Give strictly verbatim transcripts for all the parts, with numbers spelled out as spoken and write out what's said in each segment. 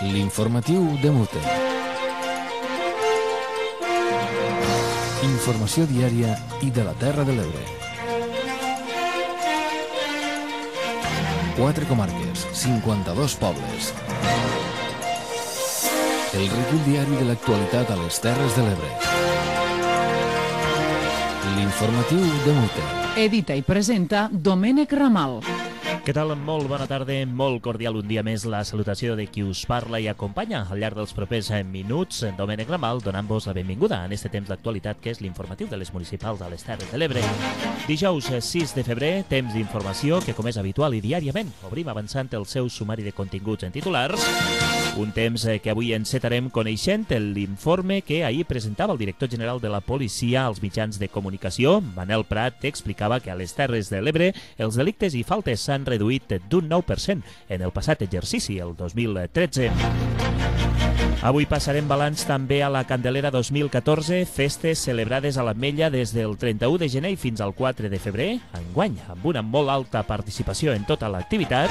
L'informatiu de Mute. Informació diària i de la Terra de l'Ebre. Quatre comarques, cinquanta-dos pobles. El recull diari de l'actualitat a les Terres de l'Ebre. L'informatiu de Mute. Edita i presenta Domènec Ramal. Què tal? Molt bona tarda, molt cordial un dia més la salutació de qui us parla i acompanya al llarg dels propers minuts. Domènec Ramal, donant-vos la benvinguda en este temps d'actualitat que és l'informatiu de les municipals a les Terres de l'Ebre. Dijous sis de febrer, temps d'informació que, com és habitual i diàriament, obrim avançant el seu sumari de continguts en titulars. Un temps que avui encetarem coneixent l'informe que ahir presentava el director general de la policia als mitjans de comunicació. Manel Prat explicava que a les Terres de l'Ebre els delictes i faltes s'han reduït d'un nou per cent en el passat exercici, el dos mil tretze. Avui passarem balanç també a la Candelera dos mil catorze, festes celebrades a l'Ametlla des del trenta-u de gener fins al quatre de febrer, enguany amb una molt alta participació en tota l'activitat.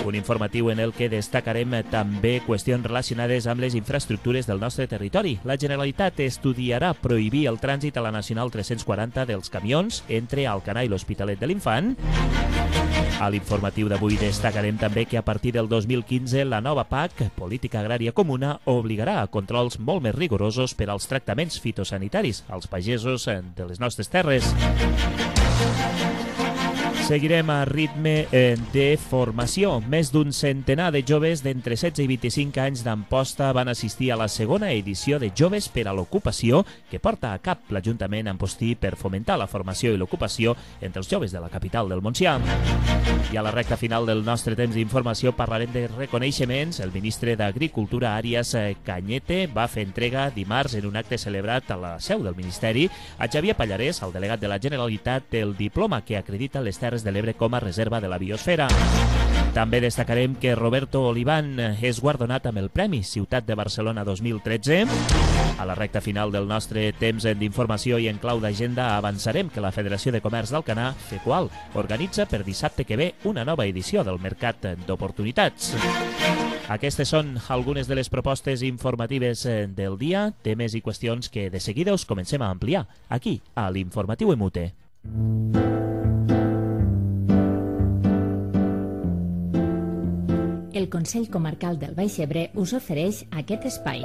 Un informatiu en el que destacarem també qüestions relacionades amb les infraestructures del nostre territori. La Generalitat estudiarà prohibir el trànsit a la Nacional tres-cents quaranta dels camions entre Alcanar i l'Hospitalet de l'Infant. A l'informatiu d'avui destacarem també que a partir del dos mil quinze la nova P A C, Política Agrària Comuna, obligarà a controls molt més rigorosos per als tractaments fitosanitaris als pagesos de les nostres terres. Seguirem a ritme de formació. Més d'un centenar de joves d'entre setze i vint-i-cinc anys d'Amposta van assistir a la segona edició de Joves per a l'Ocupació que porta a cap l'Ajuntament Ampostí per fomentar la formació i l'ocupació entre els joves de la capital del Montsià. I a la recta final del nostre temps d'informació parlarem de reconeixements. El ministre d'Agricultura, Arias Cañete, va fer entrega dimarts en un acte celebrat a la seu del Ministeri a Xavier Pallarès, el delegat de la Generalitat, del diploma que acredita les Terres de l'Ebre com a reserva de la biosfera. També destacarem que Roberto Oliván és guardonat amb el Premi Ciutat de Barcelona dos mil tretze. A la recta final del nostre temps d'informació i en clau d'agenda avançarem que la Federació de Comerç d'Alcanar, FECOAL, organitza per dissabte que ve una nova edició del Mercat d'Oportunitats. Aquestes són algunes de les propostes informatives del dia, temes i qüestions que de seguida us comencem a ampliar aquí, a l'Informatiu Emute. El Consell Comarcal del Baix Ebre us ofereix aquest espai.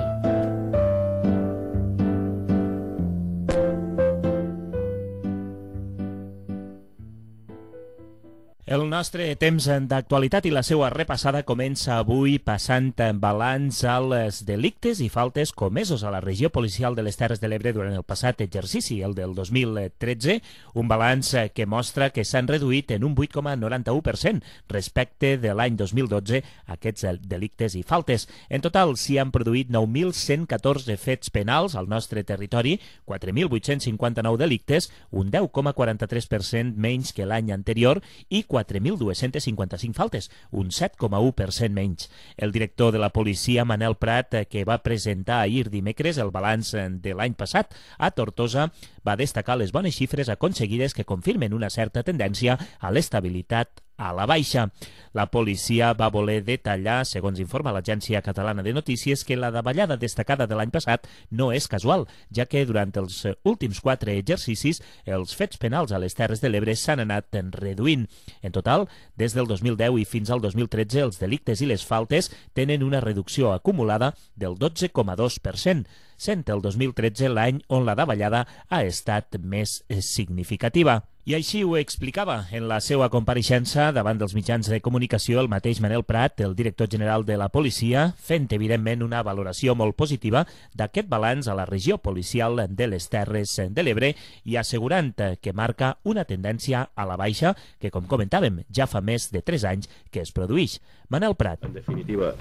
El nostre temps d'actualitat i la seva repassada comença avui passant balanç als delictes i faltes comesos a la regió policial de les Terres de l'Ebre durant el passat exercici, el del dos mil tretze, un balanç que mostra que s'han reduït en un vuit coma noranta-u per cent respecte de l'any dos mil dotze aquests delictes i faltes. En total s'hi han produït nou mil cent catorze fets penals al nostre territori, quatre mil vuit-cents cinquanta-nou delictes, un deu coma quaranta-tres per cent menys que l'any anterior i quatre mil dos-cents cinquanta-cinc faltes, un set coma u per cent menys. El director de la policia, Manel Prat, que va presentar ahir dimecres el balanç de l'any passat a Tortosa, va destacar les bones xifres aconseguides que confirmen una certa tendència a l'estabilitat a la baixa. La policia va voler detallar, segons informa l'Agència Catalana de Notícies, que la davallada destacada de l'any passat no és casual, ja que durant els últims quatre exercicis els fets penals a les Terres de l'Ebre s'han anat reduint. En total, des del dos mil deu i fins al dos mil tretze, els delictes i les faltes tenen una reducció acumulada del dotze coma dos per cent, sent el dos mil tretze l'any on la davallada ha estat més significativa. I així ho explicava en la seva compareixença davant dels mitjans de comunicació el mateix Manel Prat, el director general de la policia, fent evidentment una valoració molt positiva d'aquest balanç a la regió policial de les Terres de l'Ebre i assegurant que marca una tendència a la baixa que, com comentàvem, ja fa més de tres anys que es produeix. Manel Prat. En definitiva,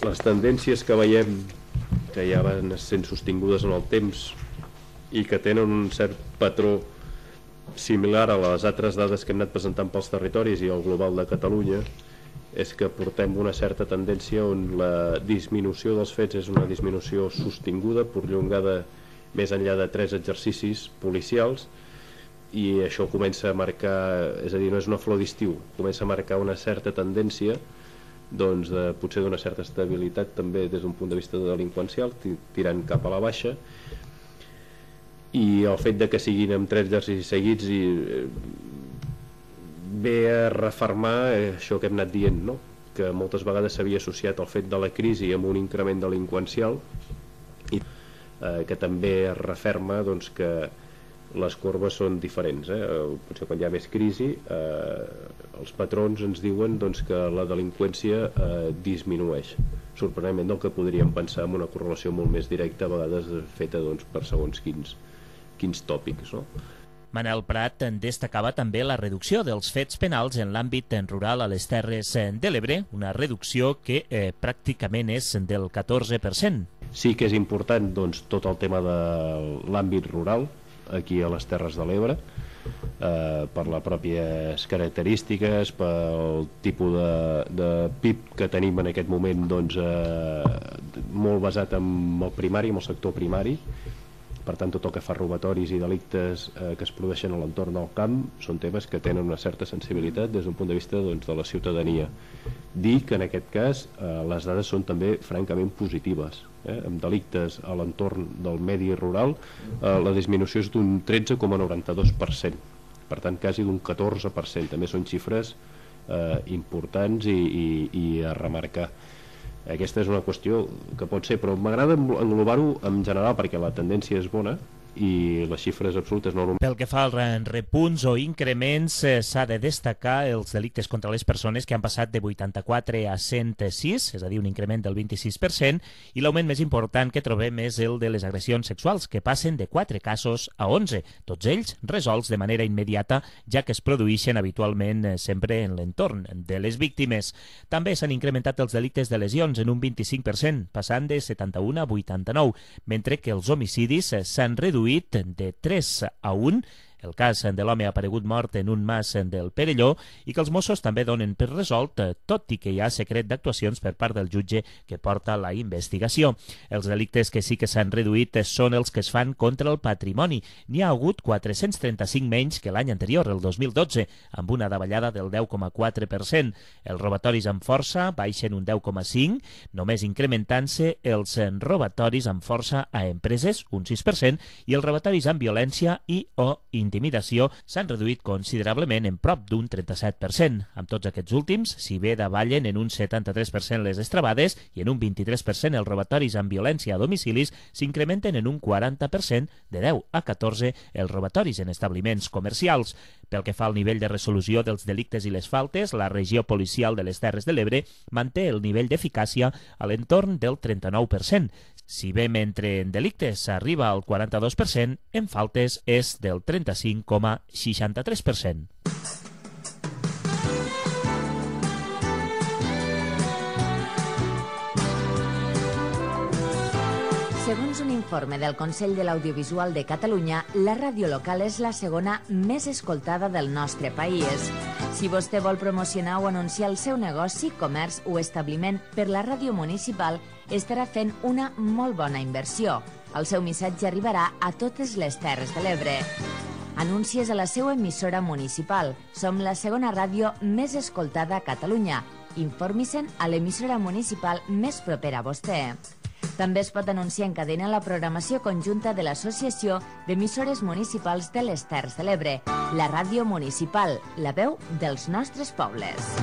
les tendències que veiem que ja van sent sostingudes en el temps i que tenen un cert patró similar a les altres dades que hem anat presentant pels territoris i el global de Catalunya, és que portem una certa tendència on la disminució dels fets és una disminució sostinguda, prolongada més enllà de tres exercicis policials, i això comença a marcar, és a dir, no és una flor d'estiu, comença a marcar una certa tendència doncs, de, potser d'una certa estabilitat també des d'un punt de vista delinqüencial, tirant cap a la baixa, i el fet de que siguin amb tres exercicis seguits i ve a refermar això que hem anat dient, no? Que moltes vegades s'havia associat el fet de la crisi amb un increment delinqüencial i eh, que també es referma doncs, que les corbes són diferents, eh? Potser quan hi ha més crisi eh, els patrons ens diuen doncs, que la delinqüència eh, disminueix, sorprenentment del que podríem pensar amb una correlació molt més directa, a vegades feta doncs, per segons quins, quins tòpics, no? Manel Prat en destacava també la reducció dels fets penals en l'àmbit rural a les Terres de l'Ebre, una reducció que eh, pràcticament és del catorze per cent. Sí que és important doncs, tot el tema de l'àmbit rural aquí a les Terres de l'Ebre, eh, per les pròpies característiques, pel tipus de, de P I B que tenim en aquest moment, doncs, eh, molt basat en el primari, en el sector primari. Per tant, tot el que fa robatoris i delictes eh, que es produeixen a l'entorn del camp són temes que tenen una certa sensibilitat des d'un punt de vista doncs, de la ciutadania. Dir que en aquest cas eh, les dades són també francament positives. Eh? Amb delictes a l'entorn del medi rural eh, la disminució és d'un tretze coma noranta-dos per cent, per tant quasi d'un catorze per cent. També són xifres eh, importants i, i, i a remarcar. Aquesta és una qüestió que pot ser, però m'agrada englobar-ho en general perquè la tendència és bona i les xifres absolutes no... Pel que fa als repunts o increments, eh, s'ha de destacar els delictes contra les persones que han passat de vuitanta-quatre a cent sis, és a dir, un increment del vint-i-sis per cent, i l'augment més important que trobem és el de les agressions sexuals, que passen de quatre casos a onze, tots ells resolts de manera immediata, ja que es produeixen habitualment eh, sempre en l'entorn de les víctimes. També s'han incrementat els delictes de lesions en un vint-i-cinc per cent, passant de setanta-un a vuitanta-nou, mentre que els homicidis eh, s'han reduït de tres a un, el cas de l'home aparegut mort en un mas del Perelló, i que els Mossos també donen per resolt, tot i que hi ha secret d'actuacions per part del jutge que porta la investigació. Els delictes que sí que s'han reduït són els que es fan contra el patrimoni. N'hi ha hagut quatre-cents trenta-cinc menys que l'any anterior, el dos mil dotze, amb una davallada del deu coma quatre per cent. Els robatoris amb força baixen un deu coma cinc, només incrementant-se els robatoris amb força a empreses, un sis per cent, i els robatoris amb violència i o intimidació s'han reduït considerablement en prop d'un trenta-set per cent. Amb tots aquests últims, si bé davallen en un setanta-tres per cent les estrabades i en un vint-i-tres per cent els robatoris amb violència a domicilis, s'incrementen en un quaranta per cent, de deu a catorze, els robatoris en establiments comercials. Pel que fa al nivell de resolució dels delictes i les faltes, la regió policial de les Terres de l'Ebre manté el nivell d'eficàcia a l'entorn del trenta-nou per cent. Si bé mentre en delictes s'arriba al quaranta-dos per cent, en faltes és del trenta-cinc coma seixanta-tres per cent. Segons un informe del Consell de l'Audiovisual de Catalunya, la ràdio local és la segona més escoltada del nostre país. Si vostè vol promocionar o anunciar el seu negoci, comerç o establiment per la ràdio municipal, estarà fent una molt bona inversió. El seu missatge arribarà a totes les Terres de l'Ebre. Anuncies a la seva emissora municipal. Som la segona ràdio més escoltada a Catalunya. Informi-se'n a l'emissora municipal més propera a vostè. També es pot anunciar en cadena la programació conjunta de l'Associació d'Emissores Municipals de les Terres de l'Ebre, la ràdio municipal, la veu dels nostres pobles.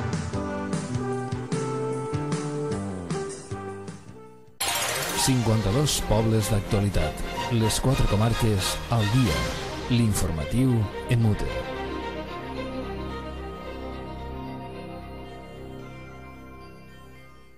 cinquanta-dos pobles d'actualitat. Les quatre comarques al dia. L'informatiu en Mute.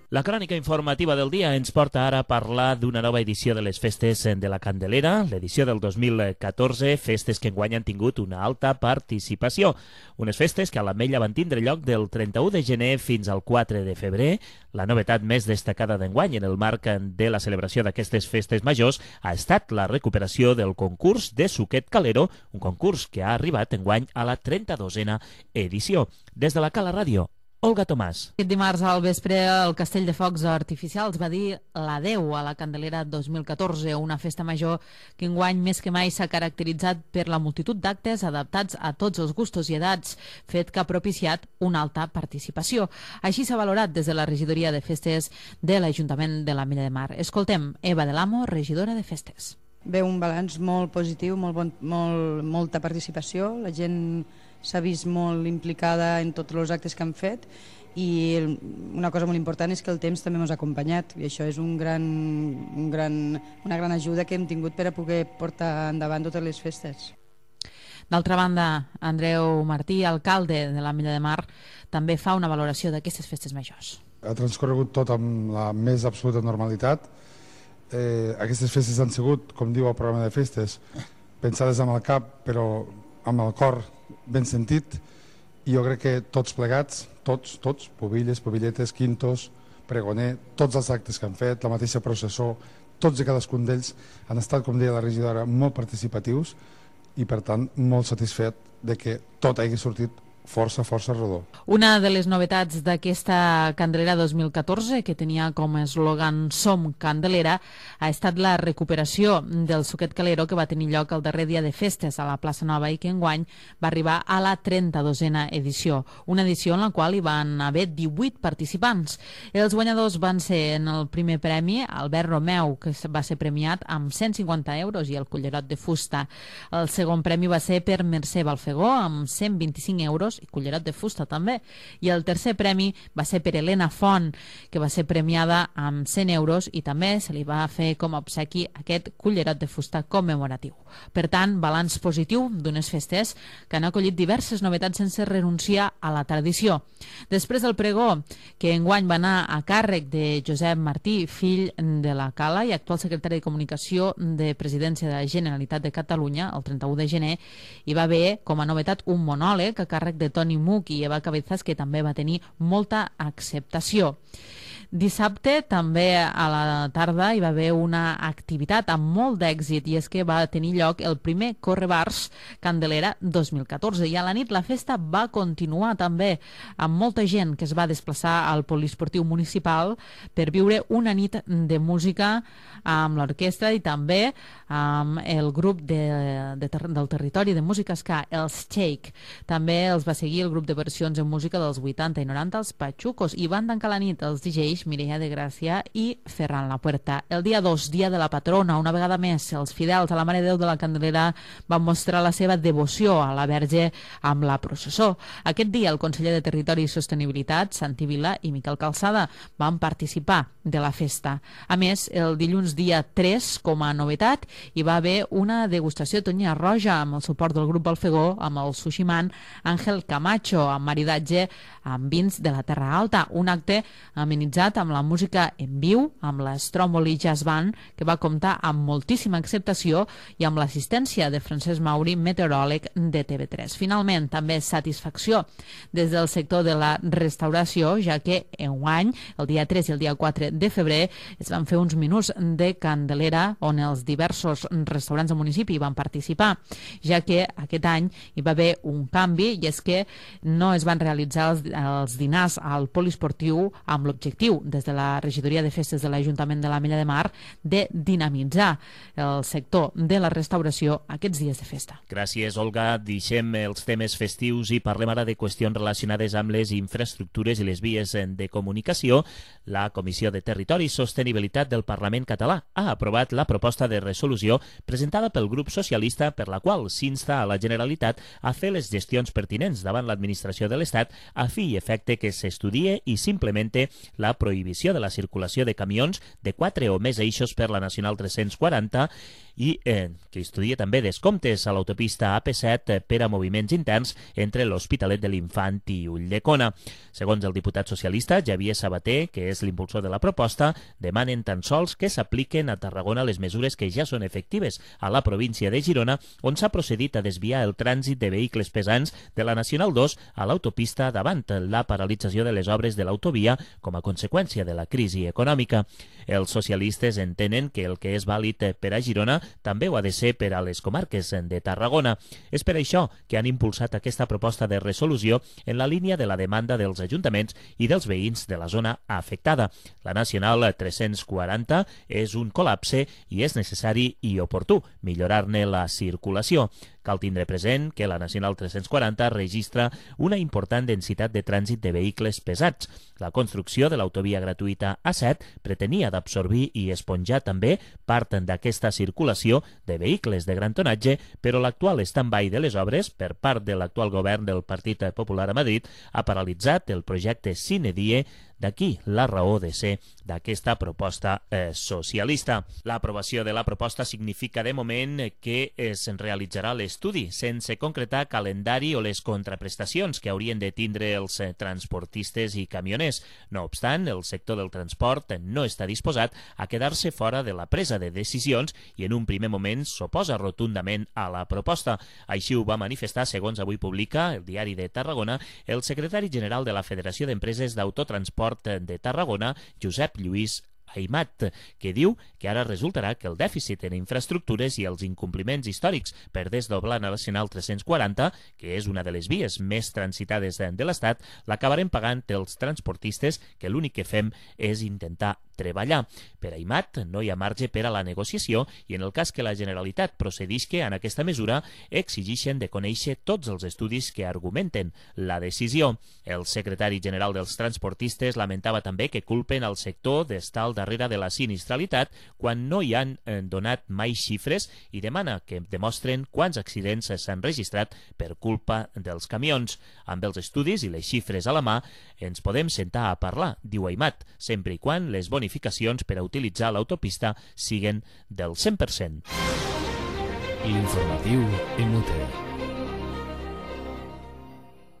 La crònica informativa del dia ens porta ara a parlar d'una nova edició de les Festes de la Candelera, l'edició del dos mil catorze, festes que enguany han tingut una alta participació. Unes festes que a l'Ametlla van tindre lloc del trenta-u de gener fins al quatre de febrer. La novetat més destacada d'enguany en el marc de la celebració d'aquestes festes majors ha estat la recuperació del concurs de Suquet Calero, un concurs que ha arribat enguany a la trenta-dosena edició. Des de la Cala Ràdio, Olga Tomàs. Aquest dimarts al vespre el Castell de Focs Artificials va dir l'adeu a la Candelera dos mil catorze, una festa major que enguany més que mai s'ha caracteritzat per la multitud d'actes adaptats a tots els gustos i edats, fet que ha propiciat una alta participació. Així s'ha valorat des de la regidoria de festes de l'Ajuntament de l'Ametlla de Mar. Escoltem Eva de l'Amo, regidora de festes. Ve un balanç molt positiu, molt bon, molt, molta participació, la gent s'ha vist molt implicada en tots els actes que han fet i una cosa molt important és que el temps també ens ha acompanyat i això és un gran, un gran, una gran ajuda que hem tingut per a poder portar endavant totes les festes. D'altra banda, Andreu Martí, alcalde de l'Ametlla de Mar, també fa una valoració d'aquestes festes majors. Ha transcorregut tot amb la més absoluta normalitat. Eh, aquestes festes han sigut, com diu el programa de festes, pensades amb el cap però amb el cor ben sentit, i jo crec que tots plegats, tots, tots, pobilles, pobilletes, quintos, pregoner, tots els actes que han fet, la mateixa processó, tots i cadascun d'ells han estat, com deia la regidora, molt participatius i per tant molt satisfet de que tot hagi sortit força, força rodó. Una de les novetats d'aquesta Candelera dos mil catorze, que tenia com a eslògan Som Candelera, ha estat la recuperació del Suquet Calero que va tenir lloc el darrer dia de festes a la plaça Nova i que enguany va arribar a la trenta-dosena edició. Una edició en la qual hi van haver divuit participants. Els guanyadors van ser en el primer premi Albert Romeu, que va ser premiat amb cent cinquanta euros i el cullerot de fusta. El segon premi va ser per Mercè Balfegó amb cent vint-i-cinc euros i cullerot de fusta també. I el tercer premi va ser per Helena Font, que va ser premiada amb cent euros i també se li va fer com a obsequi aquest cullerot de fusta commemoratiu. Per tant, balanç positiu d'unes festes que han acollit diverses novetats sense renunciar a la tradició. Després del pregó, que enguany va anar a càrrec de Josep Martí, fill de la Cala i actual secretari de Comunicació de Presidència de la Generalitat de Catalunya, el trenta-u de gener, hi va haver com a novetat un monòleg a càrrec de Toni Muc i Eva Cabezas, que també va tenir molta acceptació. Dissabte, també a la tarda, hi va haver una activitat amb molt d'èxit i és que va tenir lloc el primer Correbars Candelera dos mil catorze i a la nit la festa va continuar també amb molta gent que es va desplaçar al poliesportiu municipal per viure una nit de música amb l'orquestra i també amb el grup de, de, del territori de música ska, els Shake. També els va seguir el grup de versions en música dels vuitanta i noranta, els Pachucos, i van tancar la nit els D Js Mireia de Gràcia i Ferran La Puerta. El dia dos, dia de la patrona, una vegada més, els fidels a la Mare de Déu de la Candelera van mostrar la seva devoció a la Verge amb la processó. Aquest dia, el conseller de Territori i Sostenibilitat, Santi Vila i Miquel Calçada, van participar de la festa. A més, el dilluns dia tres, com a novetat, hi va haver una degustació de tonya roja amb el suport del grup Balfegó, amb el sushiman Àngel Camacho, amb maridatge amb vins de la Terra Alta. Un acte amenitzat amb la música en viu, amb l'Stromboli Jazz Band, que va comptar amb moltíssima acceptació i amb l'assistència de Francesc Mauri, meteoròleg de T V tres. Finalment, també satisfacció des del sector de la restauració, ja que enguany, el dia tres i el dia quatre de febrer, es van fer uns minuts de Candelera on els diversos restaurants del municipi van participar, ja que aquest any hi va haver un canvi i és que no es van realitzar els, els dinars al poliesportiu amb l'objectiu, des de la regidoria de festes de l'Ajuntament de l'Ametlla de Mar, de dinamitzar el sector de la restauració aquests dies de festa. Gràcies, Olga. Deixem els temes festius i parlem ara de qüestions relacionades amb les infraestructures i les vies de comunicació. La Comissió de Territori i Sostenibilitat del Parlament català ha aprovat la proposta de resolució presentada pel grup socialista per la qual s'insta a la Generalitat a fer les gestions pertinents davant l'administració de l'Estat a fi i efecte que s'estudie i s'implemente la prohibició de la circulació de camions de quatre o més eixos per la Nacional tres-cents quaranta i eh, que estudia també descomptes a l'autopista A P set per a moviments interns entre l'Hospitalet de l'Infant i Ulldecona. Segons el diputat socialista Javier Sabater, que és l'impulsor de la proposta, demanen tan sols que s'apliquen a Tarragona les mesures que ja són efectives a la província de Girona, on s'ha procedit a desviar el trànsit de vehicles pesants de la Nacional dos a l'autopista davant la paralització de les obres de l'autovia com a conseqüència de la crisi econòmica. Els socialistes entenen que el que és vàlid per a Girona també ho ha de ser per a les comarques de Tarragona. És per això que han impulsat aquesta proposta de resolució en la línia de la demanda dels ajuntaments i dels veïns de la zona afectada. La Nacional tres-cents quaranta és un col·lapse i és necessari i oportú millorar-ne la circulació. Cal tindre present que la Nacional tres-cents quaranta registra una important densitat de trànsit de vehicles pesats. La construcció de l'autovia gratuïta A set pretenia d'absorbir i esponjar també part d'aquesta circulació de vehicles de gran tonatge, però l'actual stand-by de les obres per part de l'actual govern del Partit Popular a Madrid ha paralitzat el projecte sine die. D'aquí la raó de ser d'aquesta proposta eh, socialista. L'aprovació de la proposta significa de moment que es realitzarà l'estudi sense concretar calendari o les contraprestacions que haurien de tindre els eh, transportistes i camioners. No obstant, el sector del transport no està disposat a quedar-se fora de la presa de decisions i en un primer moment s'oposa rotundament a la proposta. Així ho va manifestar, segons avui publica el Diari de Tarragona, el secretari general de la Federació d'Empreses d'Autotransport de Tarragona, Josep Lluís Aimat, que diu que ara resultarà que el dèficit en infraestructures i els incompliments històrics per desdoblar la Nacional tres-cents quaranta, que és una de les vies més transitades de l'Estat, l'acabarem pagant els transportistes, que l'únic que fem és intentar treballar. Per Aimat no hi ha marge per a la negociació i en el cas que la Generalitat procedisca en aquesta mesura exigeixen de conèixer tots els estudis que argumenten la decisió. El secretari general dels transportistes lamentava també que culpen al sector d'estar al darrere de la sinistralitat quan no hi han donat mai xifres i demana que demostren quants accidents s'han registrat per culpa dels camions. Amb els estudis i les xifres a la mà ens podem sentar a parlar, diu Aimat, sempre i quan les bonificacions per a utilitzar l'autopista siguen del cent per cent. L'informatiu Inútil.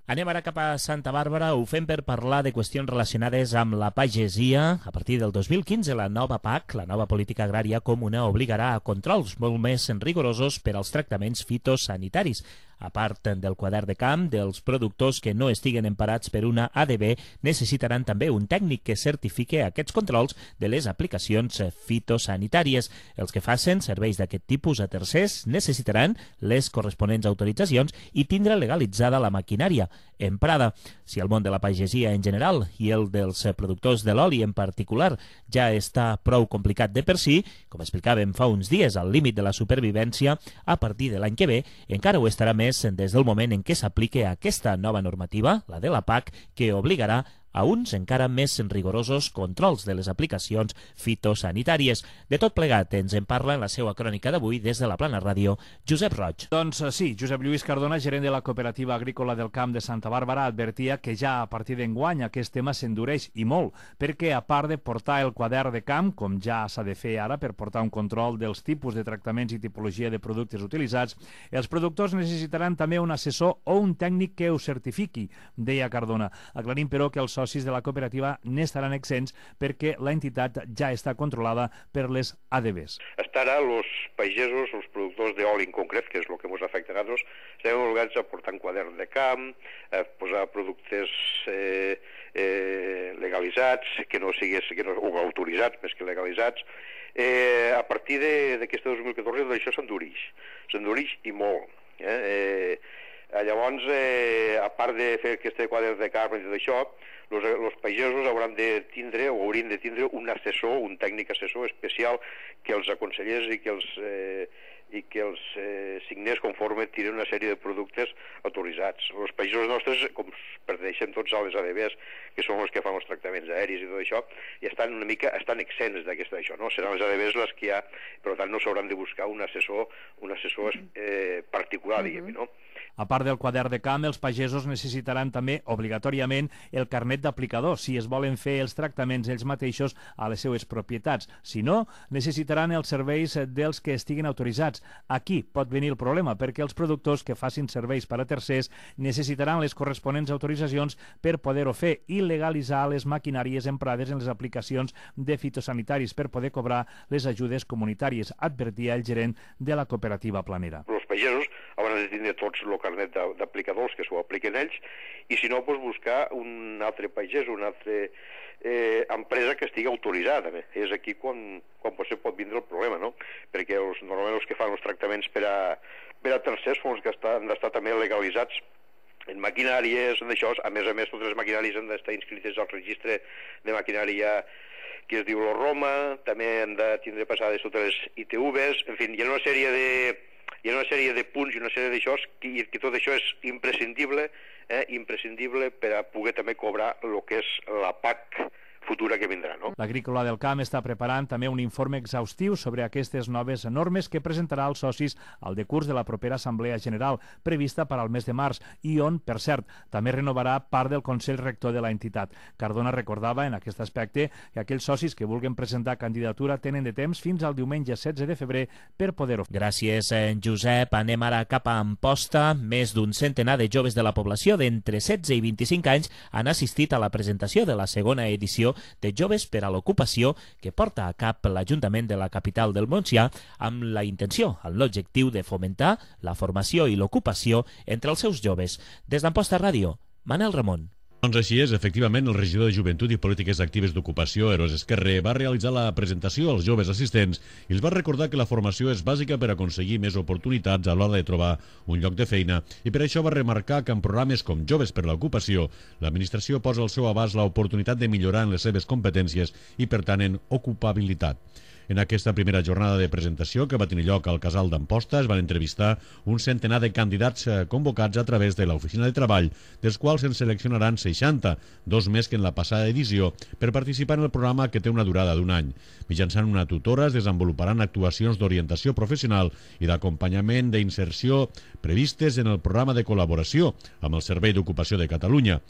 Anem ara cap a Santa Bàrbara, ho fem per parlar de qüestions relacionades amb la pagesia. A partir del dos mil quinze, la nova P A C, la nova política agrària comuna, obligarà a controls molt més rigorosos per als tractaments fitosanitaris. A part del quadern de camp, dels productors que no estiguen emparats per una A D B necessitaran també un tècnic que certifique aquests controls de les aplicacions fitosanitàries. Els que facin serveis d'aquest tipus a tercers necessitaran les corresponents autoritzacions i tindre legalitzada la maquinària emprada. Si el món de la pagesia en general i el dels productors de l'oli en particular ja està prou complicat de per si, com explicàvem fa uns dies al límit de la supervivència, a partir de l'any que ve encara ho estarà més des del moment en què s'aplique aquesta nova normativa, la de la P A C, que obligarà a uns encara més rigorosos controls de les aplicacions fitosanitàries. De tot plegat ens en parla en la seva crònica d'avui des de la Plana Ràdio, Josep Roig. Doncs sí, Josep Lluís Cardona, gerent de la Cooperativa Agrícola del Camp de Santa Bàrbara, advertia que ja a partir d'enguany aquest tema s'endureix i molt, perquè a part de portar el quadern de camp, com ja s'ha de fer ara per portar un control dels tipus de tractaments i tipologia de productes utilitzats, els productors necessitaran també un assessor o un tècnic que ho certifiqui, deia Cardona, aclarint però que els socis de la cooperativa n'estaran exempts perquè la entitat ja està controlada per les A D Bs. Hasta ara, els pagesos, els productors d'oli en concret, que és el que ens afecta a nosaltres, estem obligats a portar un quadern de camp, a posar productes eh, eh, legalitzats, que no sigués, que no, o autoritzats més que legalitzats. Eh, a partir d'aquest dos mil catorze, això s'endurix, s'endurix i molt. Eh? Eh, Llavors, eh, a part de fer aquest quadre de carn i tot això, els pagesos hauran de tindre o haurien de tindre un assessor, un tècnic assessor especial que els aconsellés i que els, eh, i que els eh, signés conforme tiren una sèrie de productes autoritzats. Els pagesos nostres, com perteneixen tots a les A D Bs, que són els que fan els tractaments aèris i tot això, i estan una mica estan exempts d'aquesta això, no? Seran les A D Bs les que hi ha, per tant no s'hauran de buscar un assessor, un assessor eh, particular, diguem-ne, no? A part del quadern de camp, els pagesos necessitaran també, obligatòriament, el carnet d'aplicador, si es volen fer els tractaments ells mateixos a les seues propietats. Si no, necessitaran els serveis dels que estiguin autoritzats. Aquí pot venir el problema, perquè els productors que facin serveis per a tercers necessitaran les corresponents autoritzacions per poder-ho fer i legalitzar les maquinàries emprades en les aplicacions de fitosanitaris per poder cobrar les ajudes comunitàries, advertia el gerent de la cooperativa planera. Els els pagesos hauran de tindre tots el carnet d'aplicadors que s'ho apliquen ells, i si no, doncs buscar un altre pagès, una altra eh, empresa que estigui autoritzada. També. És aquí quan, quan potser pot vindre el problema, no? Perquè els, normalment els que fan els tractaments per a, per a tercers són els que estan, han d'estar també legalitzats en maquinàries, en això. A més a més, totes les maquinàries han d'estar inscrites al registre de maquinària que es diu la Roma, també han de tindre passades totes les I T Vs, en fi, hi ha una sèrie de, hi ha una sèrie de punts i una sèrie d'això, i que tot això és imprescindible, eh, imprescindible per a poder també cobrar el que és la P A C futura que vindrà, no? L'Agrícola del Camp està preparant també un informe exhaustiu sobre aquestes noves normes que presentarà als socis al decurs de la propera Assemblea General, prevista per al mes de març, i on, per cert, també renovarà part del Consell Rector de la entitat. Cardona recordava en aquest aspecte que aquells socis que vulguin presentar candidatura tenen de temps fins al diumenge setze de febrer per poder-ho. Gràcies, Josep. Anem ara cap a Amposta. Més d'un centenar de joves de la població d'entre setze i vint-i-cinc anys han assistit a la presentació de la segona edició de Joves per a l'Ocupació que porta a cap l'Ajuntament de la capital del Montsià amb la intenció, amb l'objectiu de fomentar la formació i l'ocupació entre els seus joves. Des d'Amposta Ràdio, Manel Ramon. Doncs així és, efectivament, el regidor de Joventut i Polítiques Actives d'Ocupació, Eros Esquerrer, va realitzar la presentació als joves assistents i els va recordar que la formació és bàsica per aconseguir més oportunitats a l'hora de trobar un lloc de feina, i per això va remarcar que en programes com Joves per l'Ocupació, l'administració posa al seu abast l'oportunitat de millorar en les seves competències i, per tant, en ocupabilitat. En aquesta primera jornada de presentació que va tenir lloc al Casal d'Amposta es van entrevistar un centenar de candidats convocats a través de l'Oficina de Treball, dels quals se'n seleccionaran seixanta, dos més que en la passada edició, per participar en el programa que té una durada d'un any. Mitjançant una tutora es desenvoluparan actuacions d'orientació professional i d'acompanyament d'inserció previstes en el programa de col·laboració amb el Servei d'Ocupació de Catalunya.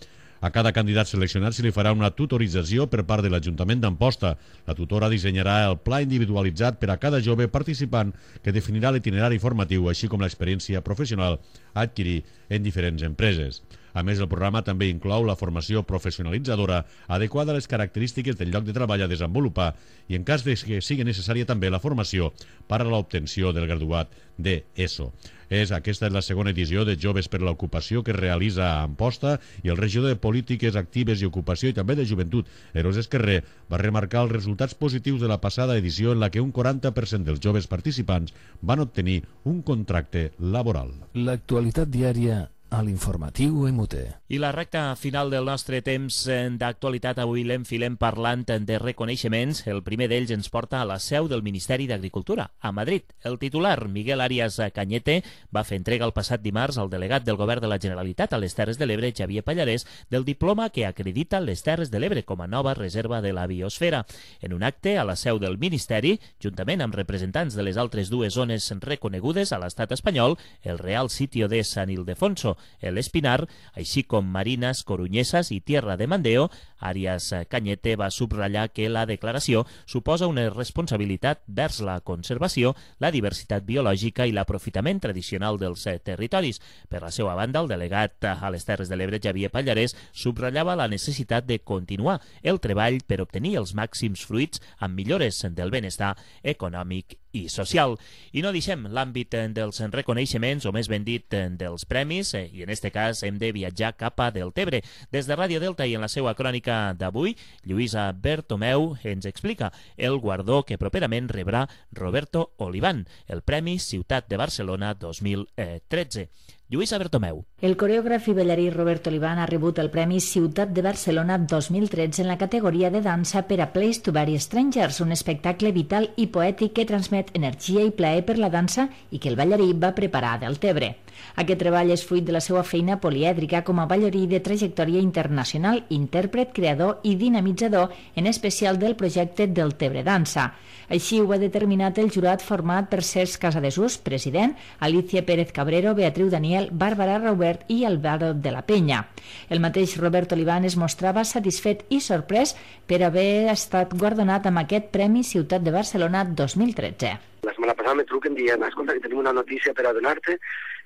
A cada candidat seleccionat se li farà una tutorització per part de l'Ajuntament d'Amposta. La tutora dissenyarà el pla individualitzat per a cada jove participant que definirà l'itinerari formatiu, així com l'experiència professional a adquirir en diferents empreses. A més, el programa també inclou la formació professionalitzadora adequada a les característiques del lloc de treball a desenvolupar i, en cas de que sigui necessària, també la formació per a l'obtenció del graduat d'ESO. És, aquesta és la segona edició de Joves per l'Ocupació que es realitza a Amposta, i el regidor de Polítiques Actives i Ocupació i també de Joventut, Eros Esquerrer, va remarcar els resultats positius de la passada edició en la que un quaranta per cent dels joves participants van obtenir un contracte laboral. L'actualitat diària a l'informatiu M T. I la recta final del nostre temps d'actualitat avui l'enfilem parlant de reconeixements. El primer d'ells ens porta a la seu del Ministeri d'Agricultura, a Madrid. El titular, Miguel Arias Cañete, va fer entrega el passat dimarts al delegat del Govern de la Generalitat a les Terres de l'Ebre, Xavier Pallarès, del diploma que acredita les Terres de l'Ebre com a nova reserva de la biosfera. En un acte a la seu del Ministeri, juntament amb representants de les altres dues zones reconegudes a l'estat espanyol, el Real Sitio de San Ildefonso, el Espinar, així com Marinas Coruñesas i Tierra de Mandeo, Arias Cañete va subratllar que la declaració suposa una responsabilitat vers la conservació, la diversitat biològica i l'aprofitament tradicional dels territoris. Per la seva banda, el delegat a les Terres de l'Ebre, Xavier Pallarès, subratllava la necessitat de continuar el treball per obtenir els màxims fruits amb millores del benestar econòmic i social. I no deixem l'àmbit dels reconeixements, o més ben dit, dels premis, i en este cas hem de viatjar cap a Deltebre. Des de Ràdio Delta i en la seva crònica d'avui, Lluïsa Bertomeu ens explica el guardó que properament rebrà Roberto Oliván, el Premi Ciutat de Barcelona dos mil tretze. Lluïsa Bertomeu. El coreògraf i ballarí Roberto Oliván ha rebut el Premi Ciutat de Barcelona dos mil tretze en la categoria de dansa per a Place to Bury Strangers, un espectacle vital i poètic que transmet energia i plaer per la dansa i que el ballarí va preparar a Deltebre. Aquest treball és fruit de la seva feina polièdrica com a ballarí de trajectòria internacional, intèrpret, creador i dinamitzador, en especial del projecte Deltebre Dansa. Així ho ha determinat el jurat format per Cesc Casadesús, president, Alicia Pérez Cabrero, Beatriu Daniel, Bàrbara Robert i Álvaro de la Peña. El mateix Robert Oliván es mostrava satisfet i sorprès per haver estat guardonat amb aquest Premi Ciutat de Barcelona dos mil tretze. La setmana passada me truquen dient, escolta, que tenim una notícia per a donar-te,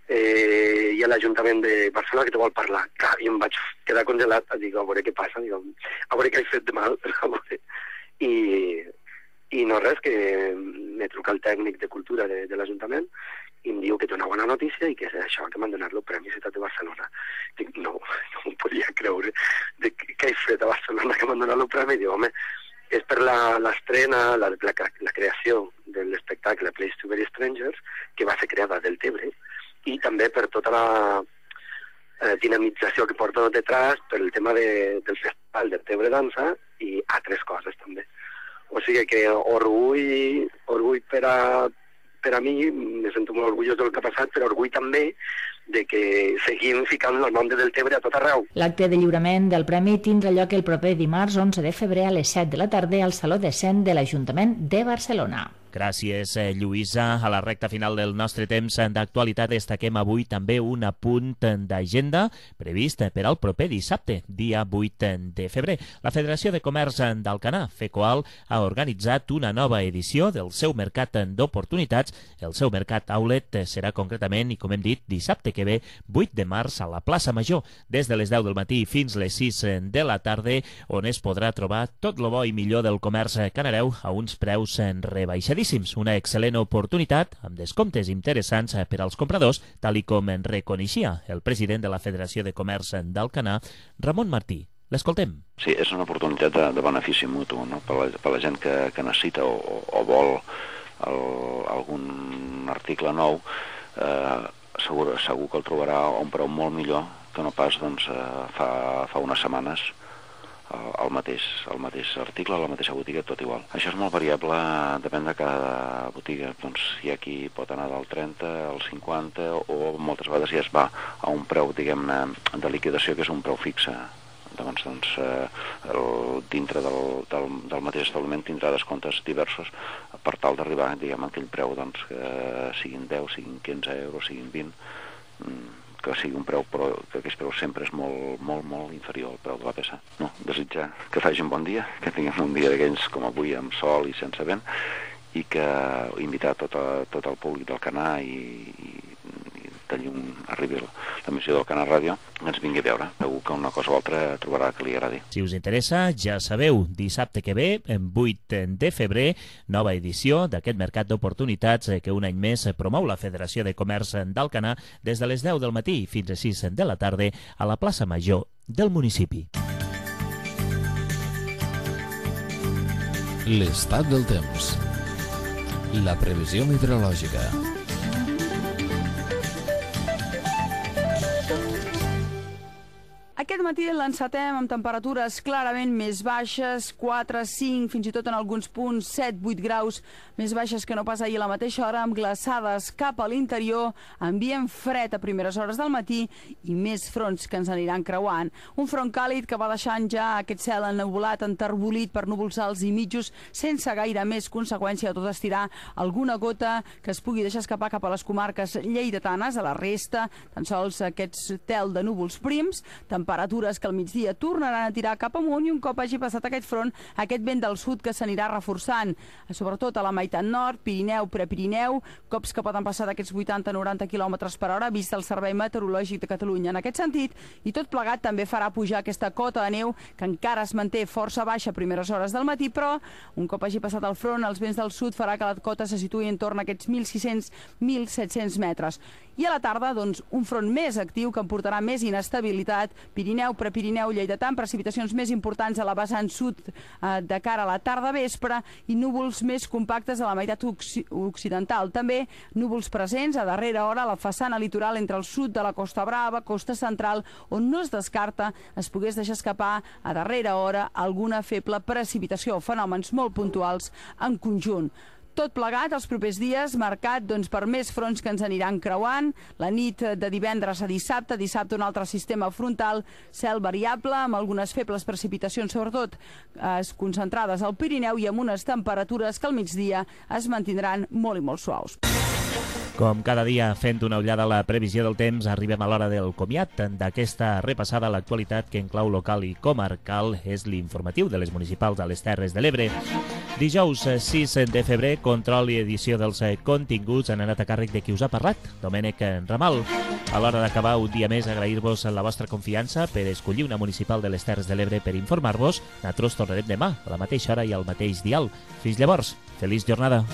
eh, i a l'Ajuntament de Barcelona que te vol parlar. Clar, i em vaig quedar congelat, dic, a veure què passa, dic, a veure què he fet de mal, a veure. I, i no res, que me truca el tècnic de cultura de, de l'Ajuntament, i em diu que té una bona notícia i que és això, que m'han donat el Premi Ciutat de Barcelona. Dic, no, no m'ho podia creure. Dic, què he fet a Barcelona que m'han donat el premi? Dic, home, és per l'estrena, la, la, la, la creació de l'espectacle Place to Very Strangers, que va ser creada del Tebre, i també per tota la eh, dinamització que porta detrás per el tema de, del Festival del Tebre Dansa i altres coses també. O sigui que orgull, orgull per a, per a mi, me sento molt orgullós del que ha passat, però orgull també de que seguim ficant el nom de Deltebre a tot arreu. L'acte de lliurament del premi tindrà lloc el proper dimarts onze de febrer a les set de la tarda al Saló de Cent de l'Ajuntament de Barcelona. Gràcies, Lluïsa. A la recta final del nostre temps d'actualitat destaquem avui també un apunt d'agenda previst per al proper dissabte, dia vuit de febrer. La Federació de Comerç d'Alcanar, FECOAL, ha organitzat una nova edició del seu mercat d'oportunitats. El seu mercat outlet serà concretament, i com hem dit, dissabte que ve, vuit de març, a la plaça Major, des de les deu del matí fins les sis de la tarda, on es podrà trobar tot lo bo i millor del comerç canareu a uns preus rebaixadíssims. Una excel·lent oportunitat amb descomptes interessants per als compradors, tal i com en reconeixia el president de la Federació de Comerç d'Alcanar, Ramon Martí. L'escoltem. Sí, és una oportunitat de, de benefici mutu, no? per, la, per la gent que, que necessita o, o vol el, algun article nou, eh, segur, segur que el trobarà a un preu molt millor que no pas doncs, eh, fa, fa unes setmanes. El mateix, el mateix article, la mateixa botiga, tot igual. Això és molt variable, depèn de cada botiga. Doncs hi ha qui pot anar del trenta al cinquanta o moltes vegades ja es va a un preu, diguem-ne, de liquidació que és un preu fixe. Llavors, doncs, eh, el, dintre del, del, del mateix establiment tindrà descomptes diversos per tal d'arribar, diguem, a aquell preu, doncs, que siguin deu, siguin quinze euros, siguin vint, que sigui un preu, però que aquest preu sempre és molt, molt, molt inferior al preu de la peça. No, desitjar que facin un bon dia, que tinguem un dia d'aquells com avui amb sol i sense vent, i que invitar tot, a, tot el públic d'Alcanar i, i, i de llum arribi l'emissió d'Alcanar Ràdio, que ens vingui a veure. Segur que una cosa o altra trobarà que li agradi. Si us interessa, ja sabeu, dissabte que ve, en vuit de febrer, nova edició d'aquest mercat d'oportunitats que un any més promou la Federació de Comerç d'Alcanar des de les deu del matí fins a sis de la tarda a la plaça Major del municipi. L'estat del temps. La previsió meteorològica. Aquest matí l'encetem amb temperatures clarament més baixes, quatre, cinc, fins i tot en alguns punts set, vuit graus més baixes que no pas ahir a la mateixa hora, amb glaçades cap a l'interior, ambient fred a primeres hores del matí i més fronts que ens aniran creuant. Un front càlid que va deixant ja aquest cel ennuvolat, enterbolit per núvols alts i mitjos, sense gaire més conseqüència, tot estirar alguna gota que es pugui deixar escapar cap a les comarques lleidatanes, a la resta, tan sols aquests tel de núvols prims, temperatures que al migdia tornaran a tirar cap amunt i un cop hagi passat aquest front, aquest vent del sud que s'anirà reforçant, sobretot a la meitat nord, Pirineu, Prepirineu, cops que poden passar d'aquests vuitanta a noranta quilòmetres per hora, vist el Servei Meteorològic de Catalunya en aquest sentit, i tot plegat també farà pujar aquesta cota de neu que encara es manté força baixa a primeres hores del matí, però un cop hagi passat el front, els vents del sud farà que la cota se situï en torn a aquests mil sis-cents a mil set-cents metres. I a la tarda, doncs, un front més actiu que emportarà més inestabilitat, Pirineu, Prepirineu, Lleidatà, precipitacions més importants a la vessant sud eh, de cara a la tarda vespre i núvols més compactes a la meitat occ occidental. També núvols presents a darrera hora a la façana litoral entre el sud de la Costa Brava, Costa Central, on no es descarta es pogués deixar escapar a darrera hora alguna feble precipitació o fenòmens molt puntuals en conjunt. Tot plegat, els propers dies, marcat doncs, per més fronts que ens aniran creuant. La nit de divendres a dissabte, dissabte un altre sistema frontal, cel variable, amb algunes febles precipitacions, sobretot eh, concentrades al Pirineu i amb unes temperatures que al migdia es mantindran molt i molt suaus. Com cada dia, fent una ullada a la previsió del temps, arribem a l'hora del comiat d'aquesta repassada a l'actualitat que en clau local i comarcal és l'informatiu de les municipals de les Terres de l'Ebre. Dijous sis de febrer, control i edició dels continguts han anat a càrrec de qui us ha parlat, Domènec Ramal. A l'hora d'acabar un dia més, agrair-vos la vostra confiança per escollir una municipal de les Terres de l'Ebre per informar-vos. Nosaltres tornarem demà, a la mateixa hora i al mateix dial. Fins llavors, feliç jornada.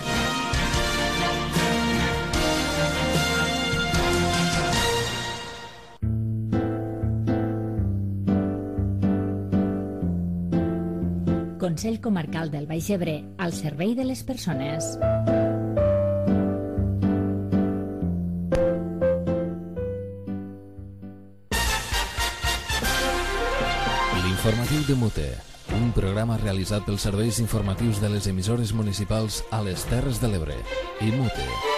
Consell Comarcal del Baix Ebre, al servei de les persones. L'informatiu de Mute, un programa realitzat pels serveis informatius de les emissores municipals a les Terres de l'Ebre i Mute.